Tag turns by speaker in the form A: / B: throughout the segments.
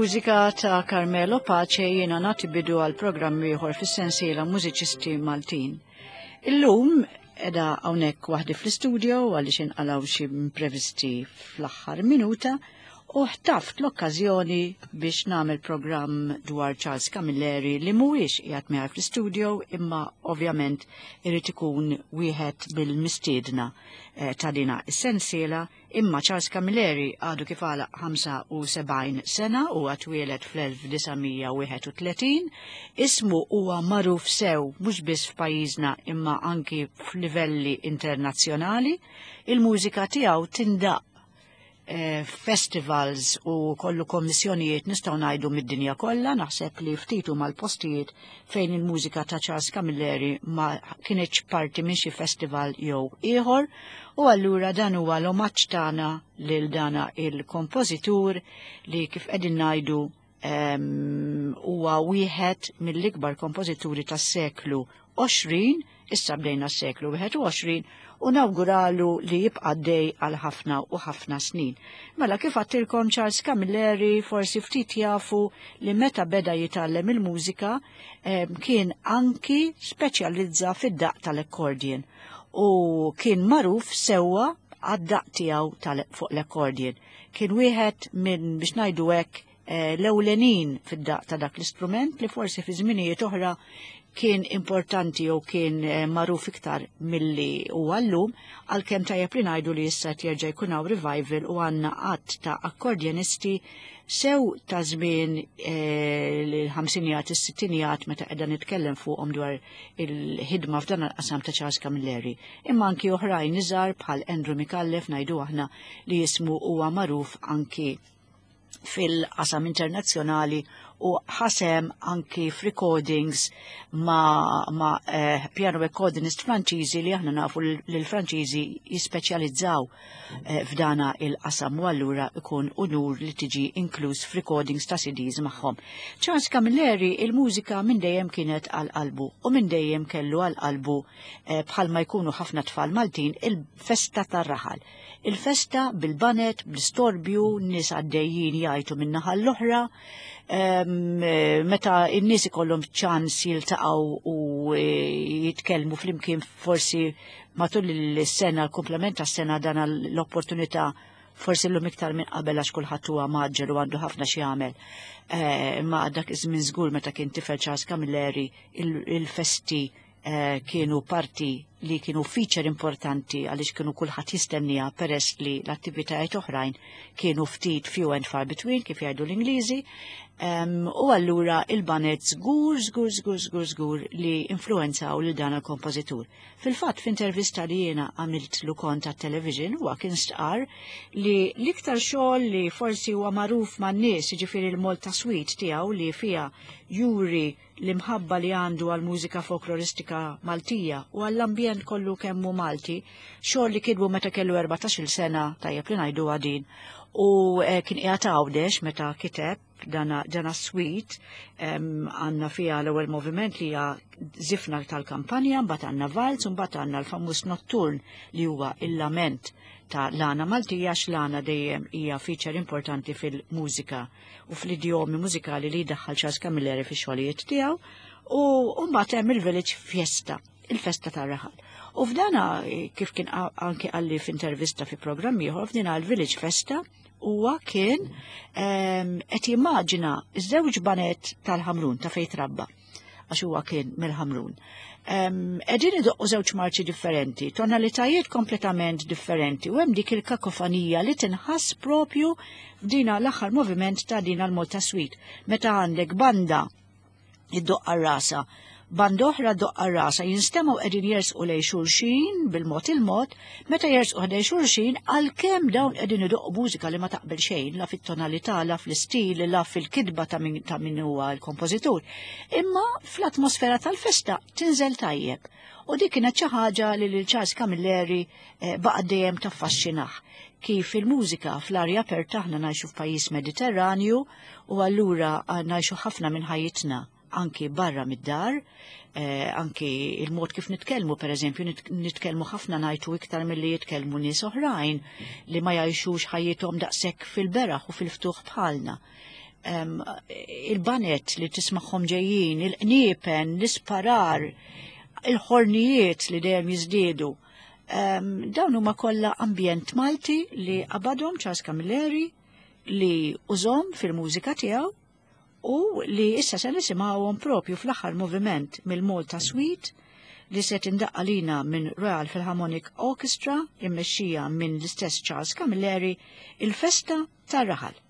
A: Bil-mużika ta' Carmelo Pace jiena nagħti bidu għal programm ieħor fis-sensiela Mużiċisti Maltin. Illum edha hawnhekk waħdi fl-istudio għaliex inqalgħu xi imprevisti fl-aħħar minuta u ħtaft l-okkażjoni biex nagħmel programm dwar Charles Camilleri li mhuwiex qiegħed miegħi fl-istudio imma ovvjament irid ikun wieħed bil-mistiedna eh, ta' dina is-sensiela imma Charles Camilleri għadu kif għalaq 75 sena u għatwielet fl-1931 ismu huwa magħruf sew mhux biss f'pajjiżna imma anki f'livelli internazzjonali il-mużika tiegħu tindaq Eh, festivals u kollu kommissjonijiet nistgħu ngħidu mid-dinja kollha, naħseb li ftit huma l-postijiet fejn il-mużika ta' Charles Camilleri ma kienx parti minn xi festival jew ieħor, u allura dan huwa l-omaġġ tagħna lil dana il-kompożitur li kif qegħdin ngħidu huwa wieħed mill-ikbar kompożituri tas-seklu 20, issa bdejna s-seklu 21, u nawguralu li jibqa' dej għal ħafna u ħafna snin. Mela kif għattilkom Charles Camilleri forsi ftit jafu li meta beda jitgħallem il-mużika kien anki speċjalizza fid-daq tal-accordion u kien magħruf sewwa għad-daq tiegħu fuq l-accordion. Kien wieħed minn biex ngħidu hekk eh, l-ewlenin fid-daq ta' dak l-istrument li forsi fi żminijiet oħra kien importanti jew kien eh, magħruf iktar milli huwa llum, għalkemm tajjeb li ngħidu li issa qed jerġa' jkun hawn revival u għandna qatt ta' akkordjonisti sew ta' żmien eh, l-ħamsinijat, is-sittinijat meta qiegħda nitkellem fuqhom dwar il-ħidma f'dan il-qasam ta' Charles Camilleri. Imma anki oħrajn iżgħar bħal Andrew Micallef ngħidu aħna li jismu huwa magħruf anki fil-qasam internazzjonali u ħasem anki f'recordings ma, ma eh, piano recordingist Franċiżi li aħna nafu li l-Franċiżi jispeċjalizzaw eh, f'dana il-qasam u allura ikun unur li tiġi inkluż f'recordings ta' CDs magħhom. Charles Camilleri il-mużika minn dejjem kienet għal qalbu u minn dejjem kellu għal qalbu eh, bħalma jkunu ħafna tfal Maltin il-festa tar-raħal. Il-festa bil-banet, bl-istorbju, nies għaddejjin jgħajtu minn naħa l-oħra, eh, meta n-nies ikollhom ċans jiltaqgħu u eh, jitkellmu flimkien forsi matul is-sena, l-komplement tas-sena dan l-opportunità forsi llum iktar minn qabel għax kulħadd huwa maġġel u għandu ħafna xi jagħmel. Eh, imma dak iż-żmien żgur meta kien tifel Charles Camilleri il-festi Eh, kienu parti li kienu feature importanti għaliex kienu kulħadd jistennija peress li l-attivitajiet oħrajn kienu ftit few and far between kif jgħidu l-Ingliżi. Um, u allura il-banet żgur, żgur, żgur, żgur, żgur li influenzaw lil dan il-kompożitur. Fil-fatt f'intervista li jiena għamilt lu kont tat-television huwa kien stqar li l-iktar xogħol li forsi huwa magħruf man-nies, jiġifieri l-Malta Suite tiegħu li fiha juri l-imħabba li għandu għall-mużika folkloristika Maltija u għall-ambjent kollu kemm hu Malti, xogħol li kitbu meta kellu 14-il sena, tajjeb li ngħiduha din, u eh, kien qiegħed Għawdex meta kiteb dana, dana suite għandna fiha l-ewwel moviment li hija żifna tal-kampanja, mbagħad għandna valz, u mbagħad għandna l-famuż notturn li huwa il-lament ta' l-għana Maltija għax l-għana dejjem hija feature importanti fil-mużika u fl-idjomi mużikali li jdaħħal Charles Camilleri fi xogħlijiet tiegħu u mbagħad hemm il-Village Fiesta, il-festa tar-raħal. U f'dana kif kien anki qalli f'intervista fi programm ieħor f'dina l-Village Festa huwa kien ehm, qed jimmaġina ż-żewġ banet tal-Ħamrun ta' fejn trabba għax huwa kien mill-Ħamrun. Qegħdin idoqqu żewġ marċi differenti, tonalitajiet kompletament differenti u hemm dik il-kakofanija li tinħass propju f'dina l-aħħar moviment ta' dina l-Malta Suite. Meta għandek banda iddoqqa rasa Banda oħra doqqa rasa jinstemgħu qegħdin jersqu lejn xulxin bil-mod il-mod, meta jersqu ħdejn xulxin għalkemm dawn qegħdin idoqqu mużika li ma taqbel xejn la fit-tonalità, la fl-istil, la fil-kitba ta' min ta' min huwa l-kompożitur. Imma fl-atmosfera tal-festa tinżel tajjeb. U dik kienet xi ħaġa li lil Charles Camilleri eh, baqa' dejjem taffaxxinah kif il-mużika fl-arja aperta aħna ngħixu f'pajjiż Mediterranju u allura eh, ngħixu ħafna minn ħajjitna anki barra mid-dar, eh, anki il-mod kif nitkellmu, per eżempju, nitkellmu ħafna ngħidu iktar milli jitkellmu nies oħrajn li ma jgħixux ħajjithom daqshekk fil-beraħ u fil-ftuħ bħalna. Il-banet li tismagħhom ġejjin, il-qniepen, l-isparar, il-ħornijiet li dejjem jiżdiedu. Dawn huma kollha ambjent Malti li qabadhom Charles Camilleri li użhom fil-mużika tiegħu u li issa se nisimgħuhom propju fl-aħħar moviment mill-Malta Suite li se tindaqqa lina minn Royal Philharmonic Orchestra immexxija minn l-istess Charles Camilleri, il-Festa tar-Raħal.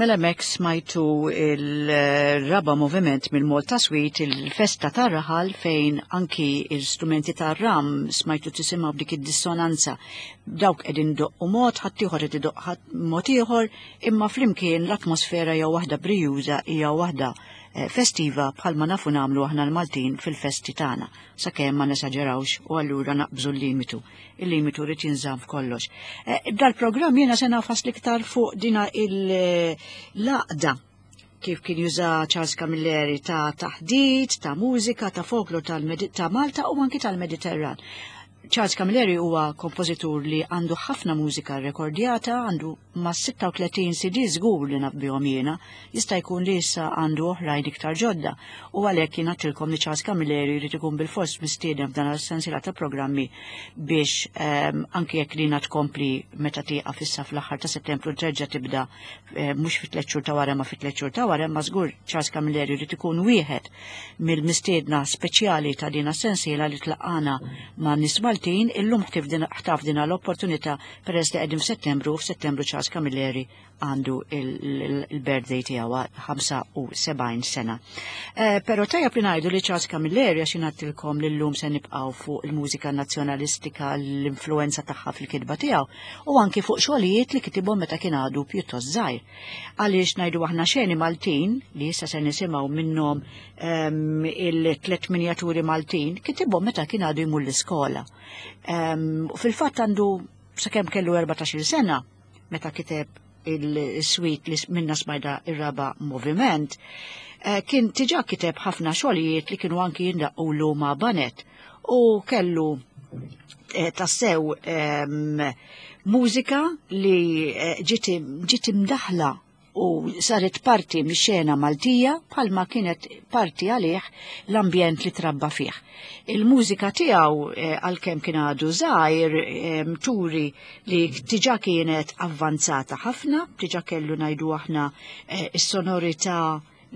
A: Mela mek smajtu il-raba moviment mill-Malta Suite, il-festa tar-raħal fejn anki il-strumenti tar-ram smajtu tisimgħu b'dik id-dissonanza. Dawk qegħdin doqqu mod, ħaddieħor qed idoqq mod ieħor, imma flimkien l-atmosfera hija waħda brijuża, hija waħda eh, festiva bħalma nafu nagħmlu aħna l-Maltin fil-festi tagħna, sakemm ma nesaġerawx u allura naqbżu l-limitu. Il-limitu rrid jinżamm f'kollox. Eh, dal-programm jiena se nafas l-iktar fuq dina il-laqda kif kien juża Charles Camilleri ta' taħdit, ta' mużika, ta' folklor ta' Malta u anki tal-Mediterran. Charles Camilleri huwa kompożitur li għandu ħafna mużika rekordjata, għandu ma' 36 CD żgur li naf bihom jiena, jista' jkun li issa għandu oħrajn iktar ġodda u għalhekk jien għadtilkom li Charles Camilleri jrid ikun bilfors mistieden f'dan sensiela ta' programmi biex um, anki jekk lina tkompli meta tieqaf issa fl-aħħar ta' Settembru terġa' tibda eh, mhux fit tliet xhur ta' wara ma fit tliet xhur ta' wara, imma żgur Charles Camilleri jrid ikun wieħed mill-mistiedna speċjali ta' dina sensiela li tlaqqana ma' nies Maltin illum ħtaf dina l-opportunità peress li qegħdin f'Settembru u f'Settembru Charles Camilleri għandu il-birthday tiegħu 75 sena. Eh, però tajjeb li ngħidu li Charles Camilleri għax ingħattilkom li llum se nibqgħu fuq il-mużika nazzjonalistika l-influenza tagħha fil-kitba tiegħu u anki fuq xogħlijiet li kitibhom meta kien għadu pjuttost żgħir. Għaliex ngħidu aħna xeni Maltin li issa se nisimgħu minnhom ehm, il-tlet minjaturi Maltin kitibhom meta kien għadu jmur l-iskola. Ehm, fil-fatt għandu sakemm kellu 14 sena meta kiteb il-suite li minna smajda ir-raba moviment, eh, kien tiġa kiteb ħafna xogħlijiet li kienu anki jindaqqulu ma' banet u kellu eh, tassew ehm, mużika li eh, ġiet imdaħla u saret parti mix-xena Maltija bħalma kienet parti għalih l-ambjent li trabba fih. Il-mużika tiegħu eh, għalkemm kien għadu żgħir eh, turi li tiġa kienet avvanzata ħafna, tiġa kellu ngħidu aħna eh, is-sonorità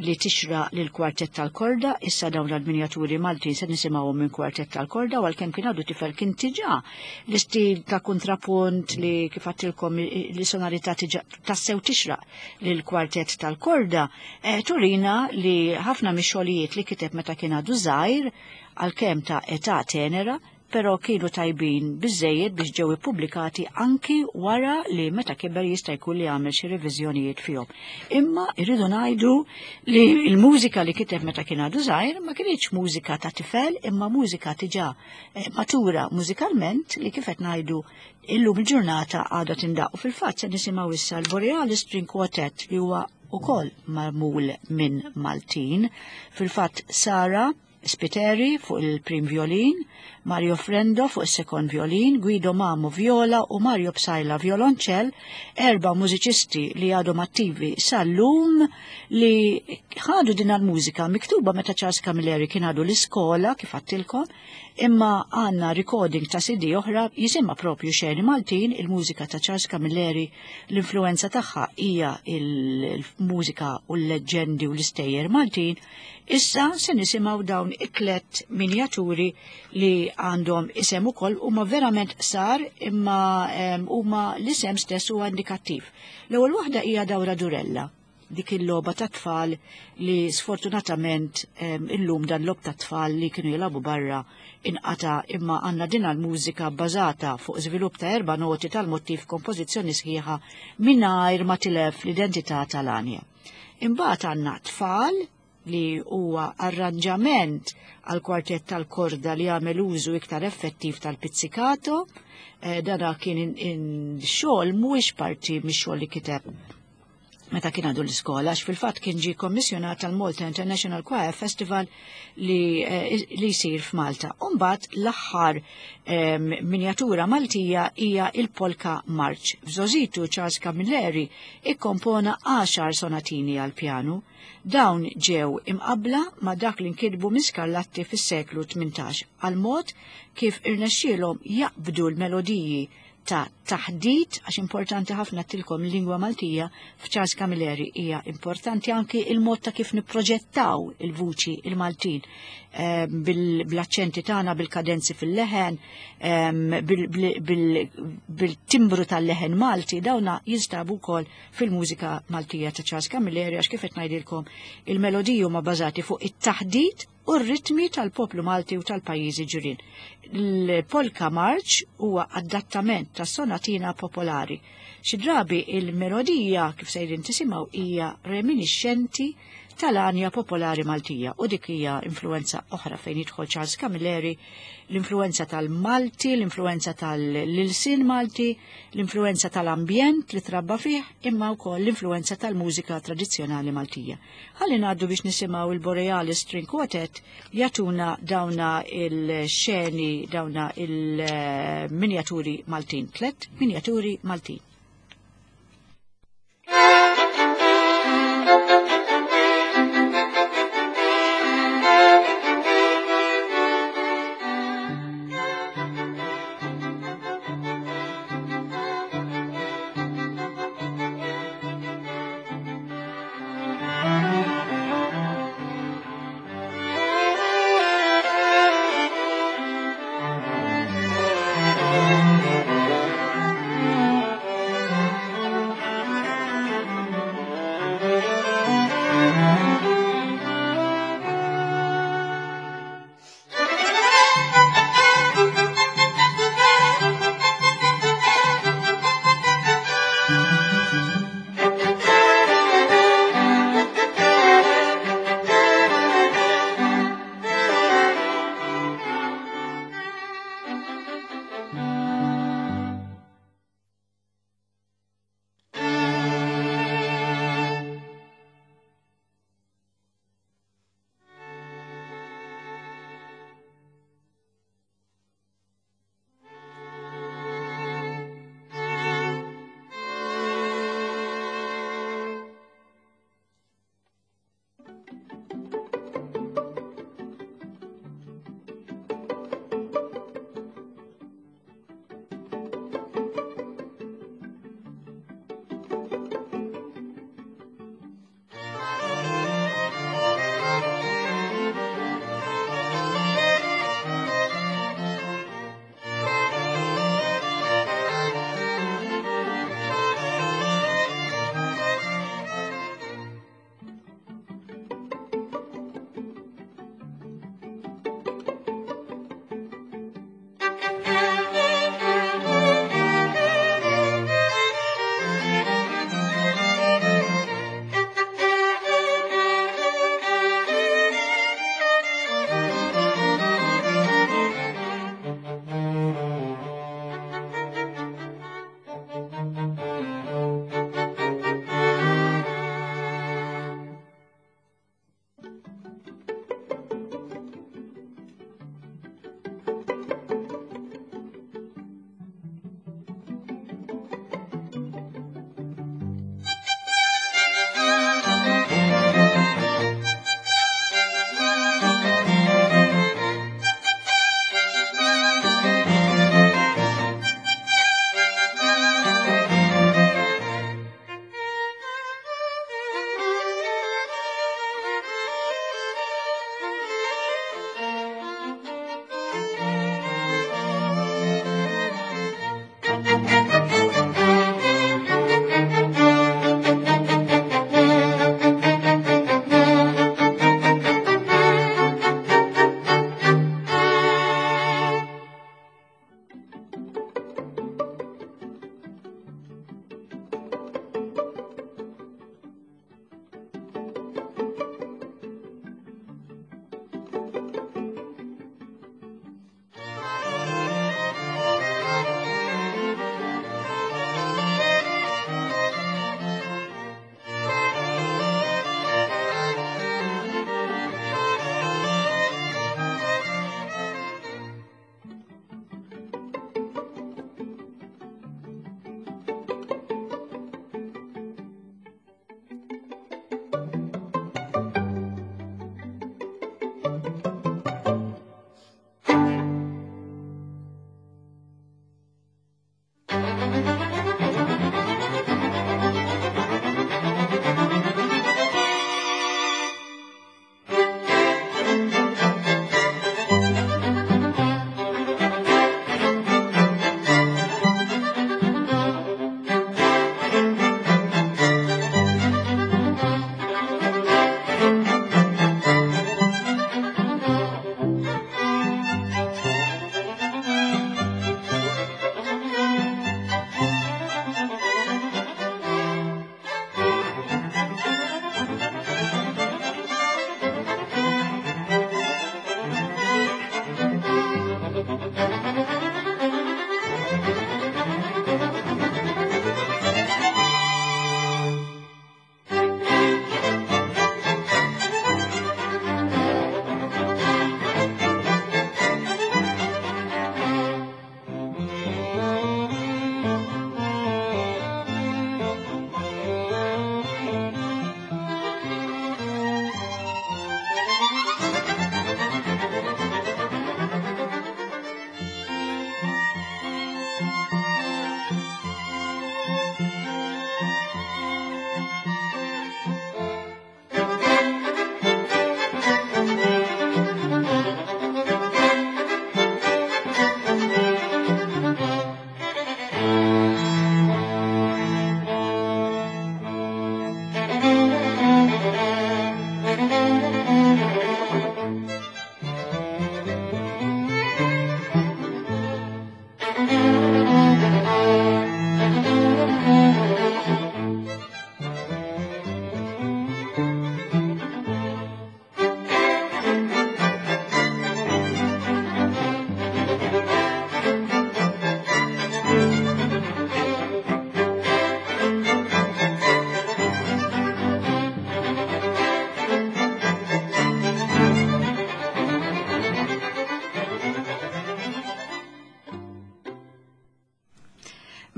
A: li tixraq lil kwartett tal-korda, issa dawn l-minjaturi Maltin se nisimgħuhom minn kwartett tal-korda u għalkemm kien għadu tifel kien tiġa l-istil ta' kontrapunt li kif għattilkom li sonorità tassew tixraq lil kwartett tal-korda, eh, turina li ħafna mix-xogħlijiet li kiteb meta kien għadu żgħir għalkemm ta' età tenera però kienu tajbin biżżejjed biex ġew ippubblikati anki wara li meta kiber jista' jkun li għamel xi reviżjonijiet fihom. Imma irridu ngħidu li l-mużika li kiteb meta kien għadu żgħir ma kinitx mużika ta' tifel imma mużika diġà eh, matura mużikalment li kif qed ngħidu illum il-ġurnata għadha tindaq. U fil-fatt se nisimgħu issa l-Borealis String Quartet li huwa ukoll magħmul minn Maltin. Fil-fatt Sara Spiteri fuq il-prim violin, Mario Frendo fuq is-sekond violin, Guido Mamo viola u Mario Psaila violonċell, erba' mużiċisti li għadhom attivi sal-lum li ħadu din l-mużika miktuba meta Charles Camilleri kien għadu l-iskola kif għattilkom, imma għandna recording ta' CD oħra jisimha propju Xeni Maltin, il-mużika ta' Charles Camilleri, l-influenza tagħha hija il-mużika u l-leġġendi u l-istejjer Maltin. Issa se nisimgħu dawn it-tlet minjaturi li għandhom isem ukoll huma verament sar imma huma l-isem stess huwa indikattiv. L-ewwel waħda hija Dawra Durella, dik il-logħba ta' tfal li sfortunatament illum dan logħob ta' tfal li kienu jilagħbu barra inqata imma għandna din l-mużika bbażata fuq żvilupp ta' erba' noti tal-mottiv kompożizzjoni sħiħa mingħajr ma tilef l-identità tal-għanja. Imbagħad għandna tfal li huwa arranġament għal kwartett tal-korda li għamel użu iktar effettiv tal-pizzicato. Eh, dana kien xogħol mhuwiex parti mix-xogħol li kiteb meta kien għadu l-iskola, għax fil-fatt kien ġie kommissjonat tal-Malta International Choir Festival li, eh, li jsir f'Malta. Umbagħad l-aħħar miniatura Maltija hija il-Polka March. F'żożitu Charles Camilleri ikkompona għaxar sonatini għal pjanu. Dawn ġew imqabbla ma' dak li nkitbu minn Scarlatti fis-seklu 18 għal mod kif irnexxielhom jaqbdu l-melodiji ta' taħdit, għax importanti ħafna tilkom lingwa Maltija f'Charles Camilleri hija importanti anki il-mod ta' kif nipproġettaw il-vuċi il-Maltin bil-aċċenti tagħna, bil-kadenzi fil-leħen, bil-timbru tal-leħen Malti, dawna jinstabu wkoll fil-mużika Maltija ta' Charles Camilleri għax kif qed ngħidilkom il-melodiji huma bażati fuq it-taħdit u r-ritmi tal-poplu Malti u tal-pajjiżi ġirien. Il-Polka March huwa adattament ta' sonatina popolari. Xi drabi il-melodija kif sejrin tisimgħu hija reminiscenti tal-anja popolari Maltija u dik hija influenza oħra fejn jidħol Charles Camilleri, l-influenza tal-Malti, l-influenza tal-ilsien Malti, l-influenza tal-ambjent li trabba fih, imma wkoll l-influenza tal-mużika tradizzjonali Maltija. Ħalli ngħaddu biex nisimgħu il-Borealis String Quartet jagħtuna dawna il-xeni, dawna il-minjaturi Maltin, tlet minjaturi Maltin.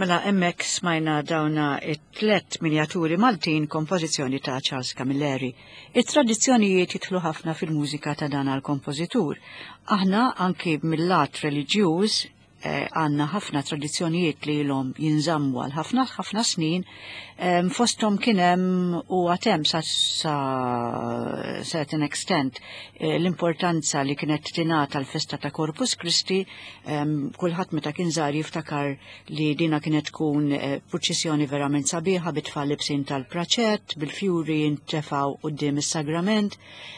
A: Mela hemmhekk smajna dawna it-tlet minjaturi Maltin kompożizzjoni ta' Charles Camilleri. It-tradizzjonijiet jidħlu ħafna fil-mużika ta' dan għal-kompożitur. Aħna anki mill-lat reliġjuż eh, għandna ħafna tradizzjonijiet li ilhom jinżammu għal ħafna ħafna snin, fosthom kien hemm u għatem sa, sa certain extent eh, l-importanza li kienet tingħata l-festa ta' Corpus Christi, kulħadd meta kien żgħar jiftakar li dina kienet tkun eh, purċissjoni verament sabiħa bit-tfal libsin tal-praċett, bil-fjuri jintefaw quddiem is-sagrament.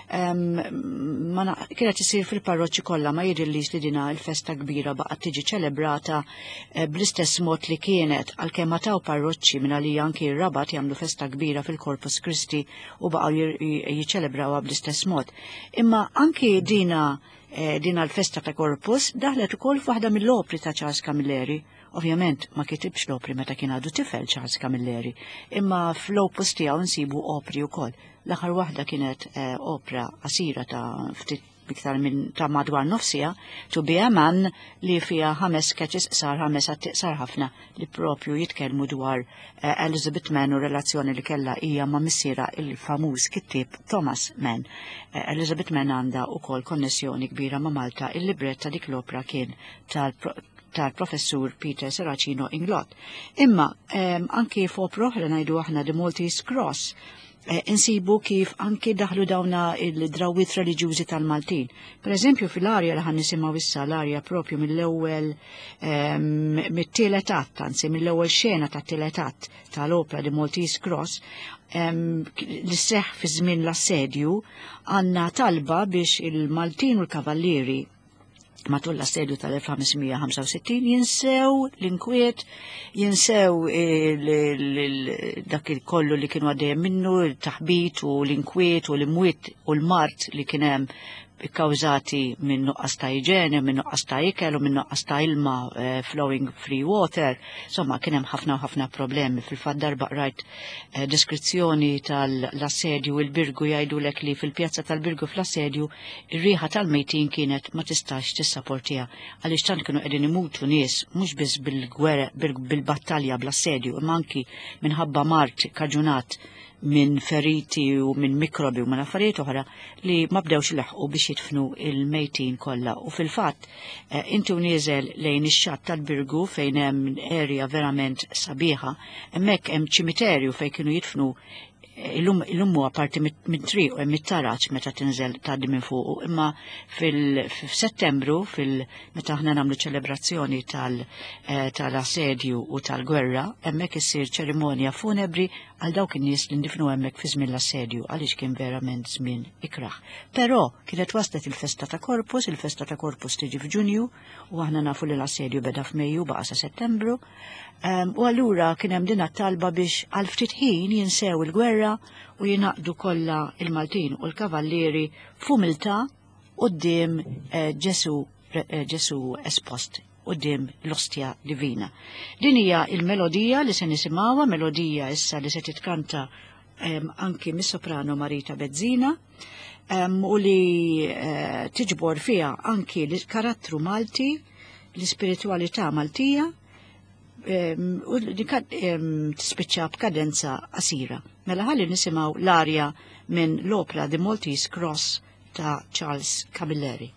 A: Kienet isir fil-parroċċi kollha ma jidhirlix li dina l-festa kbira baqgħet tiġi ċelebrata eh, bl-istess mod li kienet għalkemm ma taw parroċċi minn għalija anki r-Rabat jagħmlu festa kbira fil-Corpus Christi u baqgħu jiċċelebrawha bl-istess mod. Imma anki dina eh, dina l-festa ta' Corpus daħlet ukoll f'waħda mill-opri ta' Charles Camilleri. Ovvjament ma kitibx l-opri meta kien għadu tifel Charles Camilleri, imma fl-opus tiegħu nsibu opri wkoll. L-aħħar waħda kienet eh, opra qasira ta' ftit iktar minn ta' madwar nofsija, To Be a Man li fiha ħames sketches qsar ħames atti qsar ħafna li propju jitkellmu dwar eh, Elizabeth Mann u relazzjoni li kellha hija ma' missiera il-famuż kittieb Thomas Mann. Eh, Elizabeth Mann għandha wkoll konnessjoni kbira ma' Malta, il-librett ta' dik l-opra kien tal-professur Peter Serracino Inglott. Imma anki f'opra oħra ngħidu aħna The Maltese Cross, insibu kif anki daħlu dawna il-drawwiet reliġjużi tal-Maltin. Per eżempju, fil-arja li ħan nisimgħu issa l-arja propju mill-ewwel mit-tielet att, anzi mill-ewwel xena tat-tielet att tal-opra The Maltese Cross, li seħ fi żmien l-assedju, għandna talba biex il-Maltin u l-Kavallieri matul l-assedju tal-1565 jinsew l-inkwiet, jinsew dak il-kollu li kienu għaddejjem minnu, il-taħbit u l-inkwiet u l-imwiet u l-mart li kien hemm ikkawżati minn nuqqas ta' iġene, minn nuqqas ta' ikel u minn nuqqas ta' ilma eh, flowing free water. Insomma, kien hemm ħafna u ħafna problemi. Fil-fatt darba qrajt eh, deskrizzjoni tal-assedju il-Birgu jgħidulek li fil-pjazza tal-Birgu fl-assedju Ir-riħa tal-mejtin kienet ma tistax tissaportiha għaliex tant kienu qegħdin imutu nies mhux biss bil-gwerra bil-battalja bl-assedju imma anki minħabba mard kaġunat minn feriti u minn mikrobi u minn affarijiet oħra li ma bdewx ilaħħqu biex jidfnu il-mejtin kollha. U fil-fatt eh, inti u nieżel lejn ix-xatt tal-Birgu fejn hemm area verament sabiħa, hemmhekk hemm ċimiterju fejn kienu jidfnu Illum illum huwa parti mit-triq u hemm it-taraġ meta tinżel tgħaddi minn fuqu, imma fil-Settembru fil meta aħna nagħmlu ċelebrazzjoni eh, tal-assedju u tal-gwerra, hemmhekk issir ċerimonja funebri għal dawk in-nies li ndifnu hemmhekk fi żmien l-assedju għaliex kien verament żmien ikrah. Però kienet waslet il-festa ta' Corpus, il-festa ta' Corpus tiġi f'Ġunju u aħna nafu li l-assedju beda f'Mejju baqa' sa Settembru. U allura kien hemm din talba biex għal ftit ħin jinsew il-gwerra u jingħaqdu kollha il-Maltin u l-Kavallieri f'umiltà quddiem eh, Ġesu eh, Ġesu espost quddiem l-ostja divina. Din hija il-melodija li se nisimgħuha, melodija issa li se titkanta anki mis-soprano Marita Bezzina u li eh, tiġbor fiha anki l-karattru Malti, l-ispiritualità Maltija u li tispiċċa b'kadenza qasira. Mela ħalli nisimgħu l-arja minn l-opra The Maltese Cross ta' Charles Camilleri.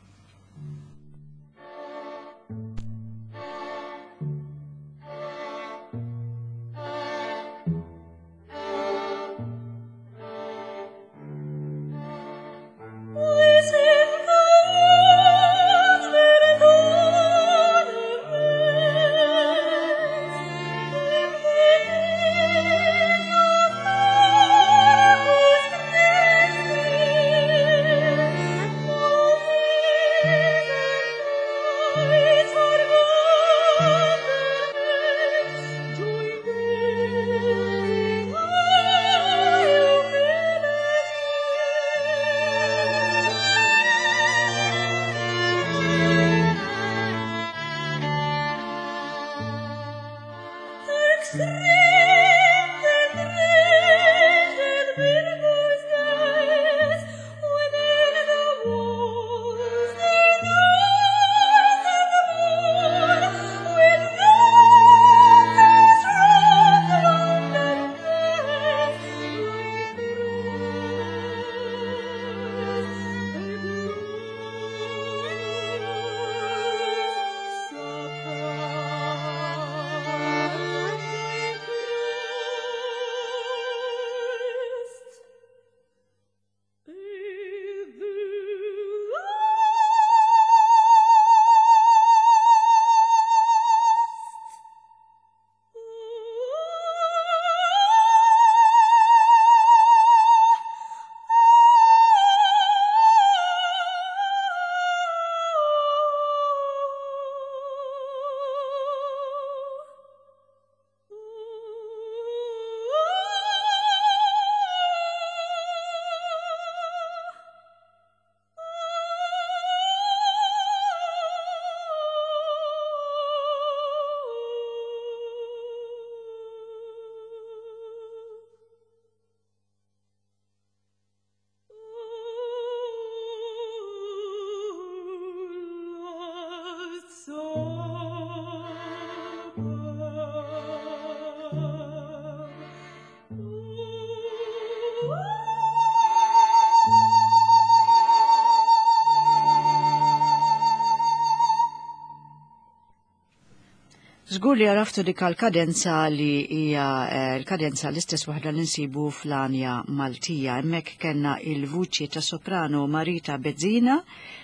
A: Żgur li għaraftu dik l-kadenza li hija eh, l-kadenza l-istess waħda li nsibu fl-anja Maltija. Hemmhekk kellna il-vuċi ta' soprano Marita Bezzina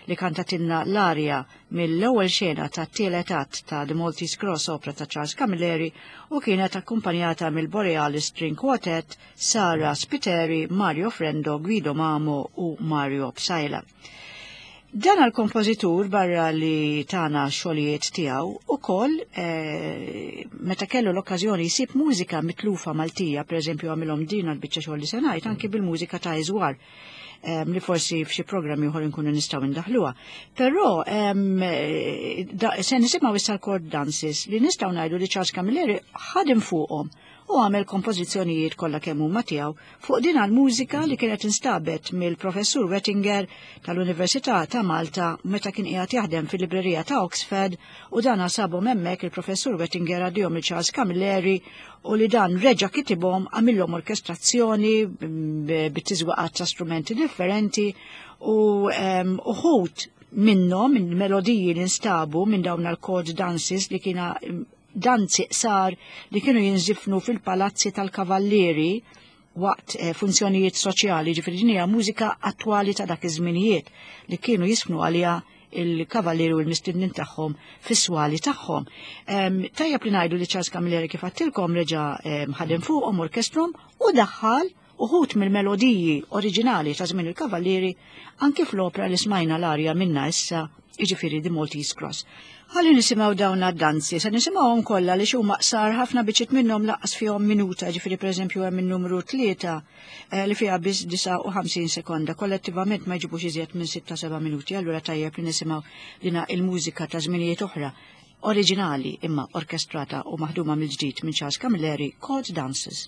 A: li kantatilna l-arja mill-ewwel xena ta' tielet att ta' The Maltese Cross opera ta' Charles Camilleri u kienet akkumpanjata mill-Borealis String Quartet Sara Spiteri, Mario Frendo, Guido Mamo u Mario Psaila. Dan għal-kompożitur barra li tana xogħlijiet tiegħu ukoll eh, meta kellu l-okkażjoni jsib mużika mitlufa Maltija, pereżempju għamilhom din għall-biċċa xogħol li se ngħid anki bil-mużika ta' Iżwar li forsi f'xi programmi oħor inkunu nistgħu ndaħluha. Però se nisimgħu issa l-chord dances li nistgħu ngħidu li Charles Camilleri ħadem fuqhom u għamel kompożizzjonijiet kollha kemm huma tiegħu fuq din għall-mużika li kienet instabet mill-Professur Wettinger tal-Università ta' Malta meta kien qiegħed jaħdem fil-librerija ta' Oxford u dan sabhom hemmhekk il-Professur Wettinger għaddihom il Charles Camilleri u li dan reġa' kitibhom għamilhom orkestrazzjoni bit-tiżwaqat ta' strumenti differenti u uħud minnhom minn melodiji li nstabu minn dawn l-chord dances li kiena danzi qsar li kienu jinżifnu fil-palazzi tal-kavallieri waqt eh, funzjonijiet soċjali, ġifieri din hija mużika attwali ta' dak iż-żminijiet li kienu jisfnu għaliha il-kavallieri u l-mistednin tagħhom fis-swali tagħhom. Tajjeb li ngħidu li Charles Camilleri kif għattilkom reġa' ħadem fuqhom orkestrom u daħħal uħut mill-melodiji oriġinali ta' żmien il-Kavallieri anki fl-opra li smajna l-arja minna issa, jiġifieri The Maltese Cross. Ħalli nisimgħu dawn għad-danzi, se nisimgħuhom kollha li huma qsar ħafna biċċiet minnhom laqqas fihom minuta, ġifieri pereżempju hemm in-numru tlieta eh, li fiha biss 59 sekonda, kollettivament ma jġibux iżjed minn 6-7 minuti, allura tajjeb li nisimgħu dina il-mużika ta' żminijiet oħra oriġinali imma orkestrata u maħduma mill-ġdid minn Charles Camilleri, Court Dances.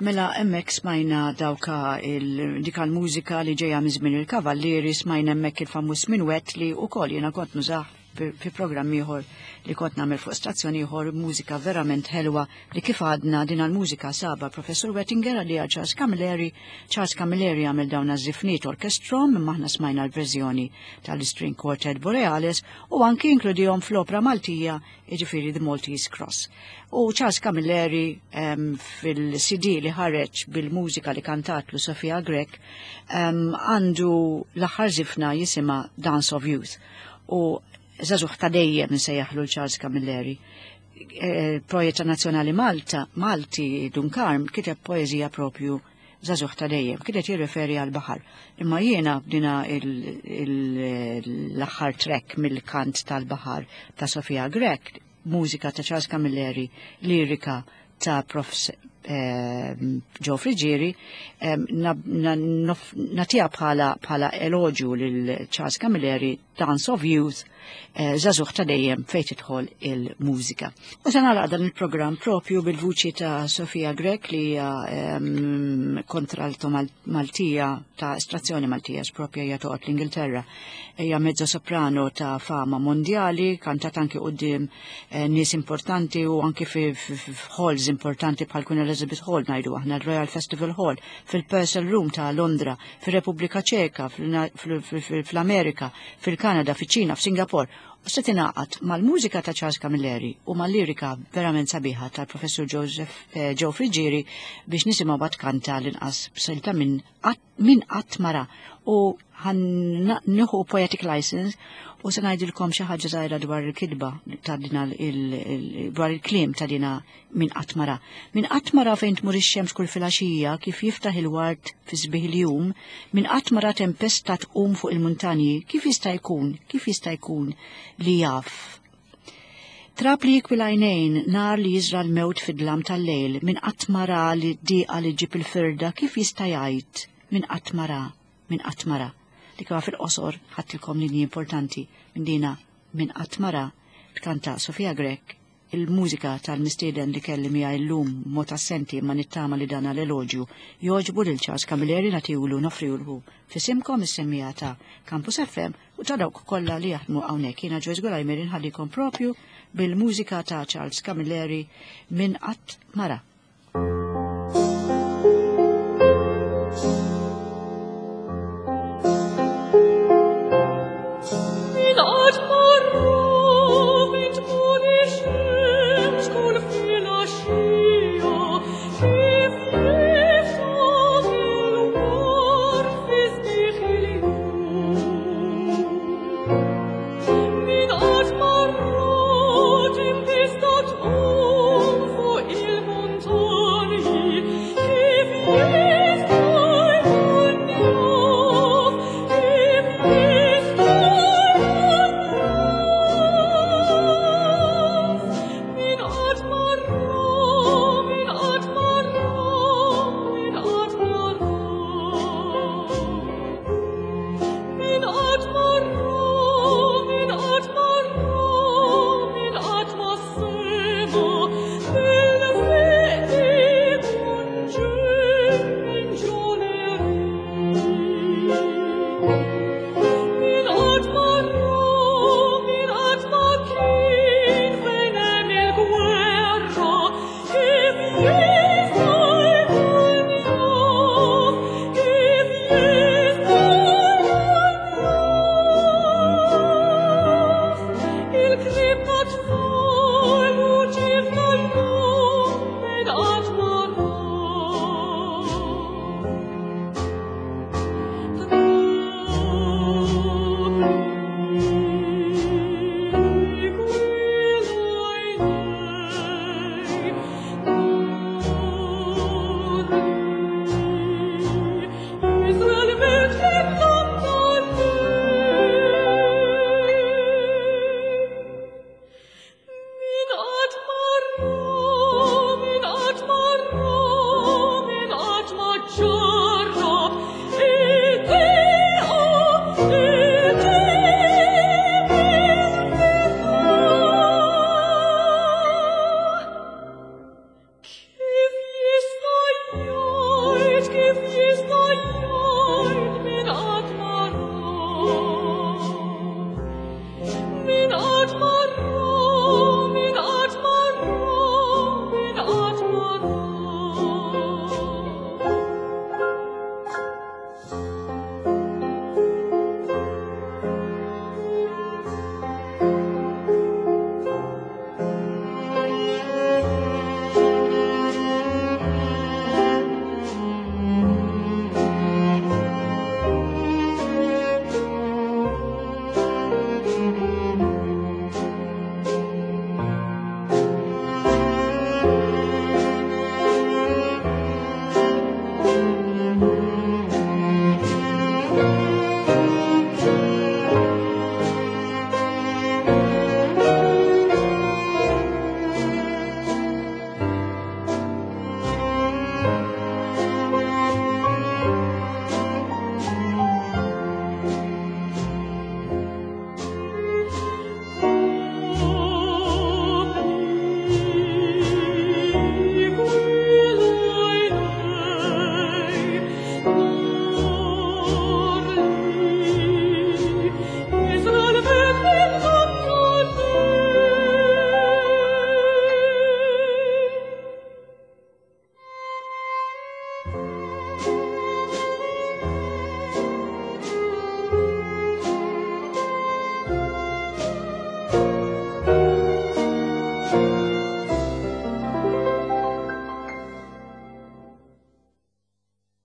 A: Mela hemmhekk smajna dawka dika l-mużika li ġejja minn żmien il-Kavallieri, smajna hemmhekk il-famuż minwett li wkoll jiena kont nużah fi programm ieħor li kont nagħmel fuq stazzjon ieħor, mużika verament ħelwa li kif għadna din l-mużika saba Professur Wettinger li Charles Camilleri. Charles Camilleri għamel dawn iż-żifniet orkestrom, imma aħna smajna l-verżjoni tal-String Quartet Borealis u anki inkludihom fl-opra Maltija, jiġifieri The Maltese Cross. U Charles Camilleri fil-CD li ħareġ bil-mużika li kantatlu Sofia Grech għandu l-aħħar żifna jisimha Dance of Youth. U żagħżugħ ta' dejjem nsejjaħlu Charles Camilleri. Poeta Nazzjonali Malta, Malti Dun Karm kiteb poeżija propju żagħżugħ ta' dejjem, kienet jirreferi għal baħar. Imma jiena bdina l-aħħar track mill-kant tal-baħar ta' Sofia Grech, mużika ta' Charles Camilleri, lirika ta' Prof Joe Friggieri, nagħtiha bħala eloġju lil Charles Camilleri, Dance of Youth, żagħżugħ ta' dejjem fejn tidħol il-mużika. U se nagħlaq dan il-programm propju bil-vuċi ta' Sofia Grech li hija kontralto Maltija ta' estrazzjoni Maltija, propja hija toqgħod l-Ingilterra. Hija mezzo soprano ta' fama mondjali, kantat anki quddiem nies importanti u anki fi halls importanti bħal Queen Elizabeth Hall, ngħidu aħna l-Royal Festival Hall, fil-Purcell Room ta' Londra, fir-Repubblika Ċeka, fl-Amerika, fil-Kanada, fiċ-Ċina, f'Singapore. U se tingħaqad mal-mużika ta' Charles Camilleri u mal-lirika verament sabiħa tal-Professur Joseph Joe Friggieri biex nisimgħu bat kanta l-inqas b'silta minn qatt mara. U nieħu poetic license u se ngħidilkom xi ħaġa żgħira dwar il-kitba ta' dina dwar il-kliem ta' dina minn qatt mara. Minn qatt mara fejn tmur ix-xemx kull filgħaxija kif jiftaħ il-ward fi sbieħ il-jum, minn qatt mara tempesta tqum fuq il-muntanji, kif jista' jkun, kif jista' jkun li jaf. Trab li jikwi l-għajnejn, nar li jiżra l-mewt fid-dlam tal-lejl, minn qatt mara li d-diqa li ġib il-firda, kif jista' jgħid minn qatt mara, minn qatt mara. Li kif fil-qosor ħadtilkom linji importanti minn dina minn qatt mara tkanta Sofia Grech, il-mużika tal-mistieden li kelli miegħi llum mod assenti ma nittama li dan l-eloġju jogħġbu lil Charles Camilleri, nagħtilu noffrilu f'isimkom is-semmija ta' Campus FM u ta' dawk kollha li jaħdmu hawnhekk. Jiena Joyce Gulajmer inħallikom propju bil-mużika ta' Charles Camilleri minn qatt mara.